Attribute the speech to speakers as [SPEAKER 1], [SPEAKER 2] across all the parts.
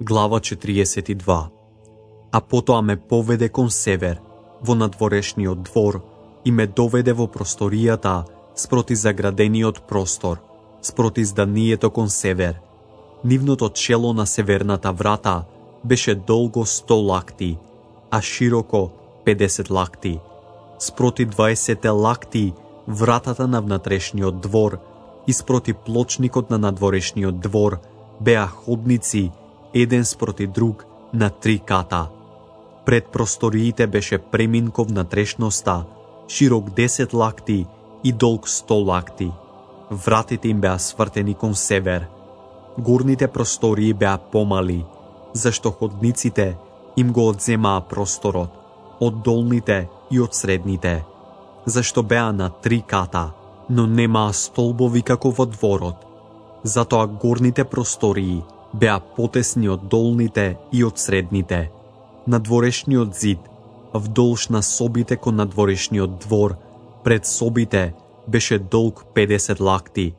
[SPEAKER 1] Глава 42. А потоа ме поведе кон север, во надворешниот двор, и ме доведе во просторијата спроти заградениот простор, спроти зданието кон север. Нивното чело на северната врата беше долго 100 лакти, а широко 50 лакти. Спроти 20 лакти вратата на внатрешниот двор и спроти плочникот на надворешниот двор беа ходници еден спроти друг на 3 ката. Пред просториите беше премин кон внатрешноста, широк 10 лакти и долг 100 лакти. Вратите им беа свртени кон север. Горните простории беа помали, зашто ходниците им го одземаа просторот, од долните и од средните, зашто беа на 3 ката, но немаа столбови како во дворот. Затоа горните простории беа потесни од долните и од средните. Надворешниот зид, вдолж на собите кон надворешниот двор, пред собите беше долг 50 лакти,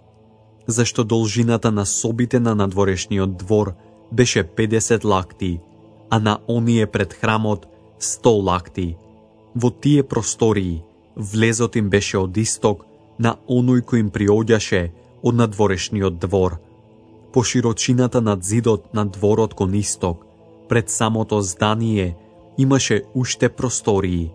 [SPEAKER 1] зашто должината на собите на надворешниот двор беше 50 лакти, а на оние пред храмот 100 лакти. Во тие простории влезот им беше од исток на оној кој им приоѓаше од надворешниот двор. По широчината над зидот на дворот кон исток, пред самото здание, имаше уште простории.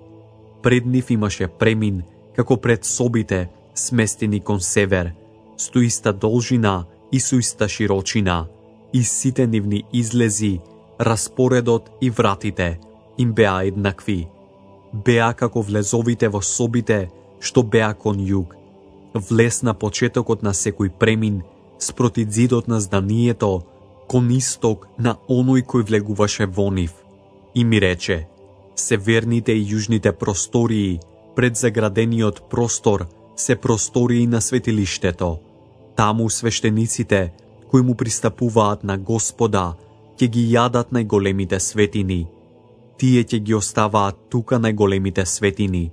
[SPEAKER 1] Пред нив имаше премин, како пред собите, сместени кон север, со иста должина и со иста широчина, и сите нивни излези, распоредот и вратите им беа еднакви. Беа како влезовите во собите, што беа кон југ. Влез на почетокот на секој премин, спроти зидот на зданието, кон исток на оној кој влегуваше во нив. И ми рече, северните и јужните простории, пред заградениот простор, се простории на светилиштето. Таму свештениците, кои му пристапуваат на Господа, ќе ги јадат најголемите светини. Тие ќе ги оставаат тука најголемите светини,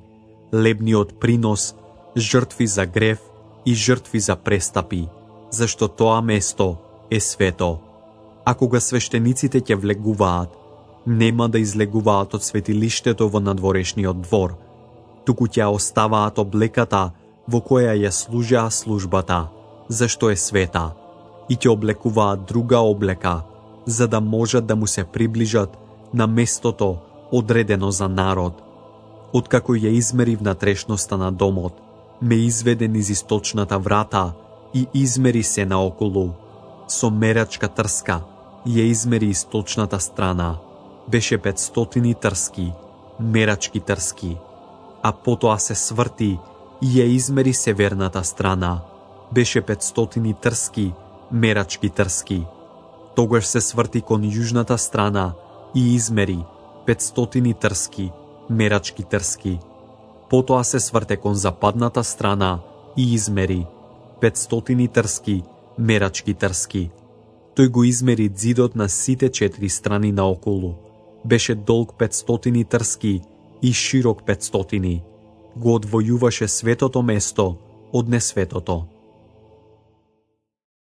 [SPEAKER 1] лебниот принос, жртви за грев и жртви за престапи, зашто тоа место е свето. А кога свештениците ќе влегуваат, нема да излегуваат од светилиштето во надворешниот двор, туку ќе оставаат облеката во која ја служаа службата, зашто е света, и ќе облекуваат друга облека, за да можат да му се приближат на местото одредено за народ. Откако ја измери внатрешноста на домот, ме изведе низ источната врата и измери се наоколу. Со мерачка трска ја измери источната страна. Беше 500 трски, мерачки трски. А потоа се сврти и ја измери северната страна. Беше 500 трски, мерачки трски. Тогаш се сврти кон јужната страна и измери 500 трски, мерачки трски. Потоа се сврте кон западната страна и измери 500 трски, мерачки трски. Тој го измери зидот на сите 4 страни наоколу. Беше долг 500 трски и широк 500. Го одвојуваше светото место од несветото.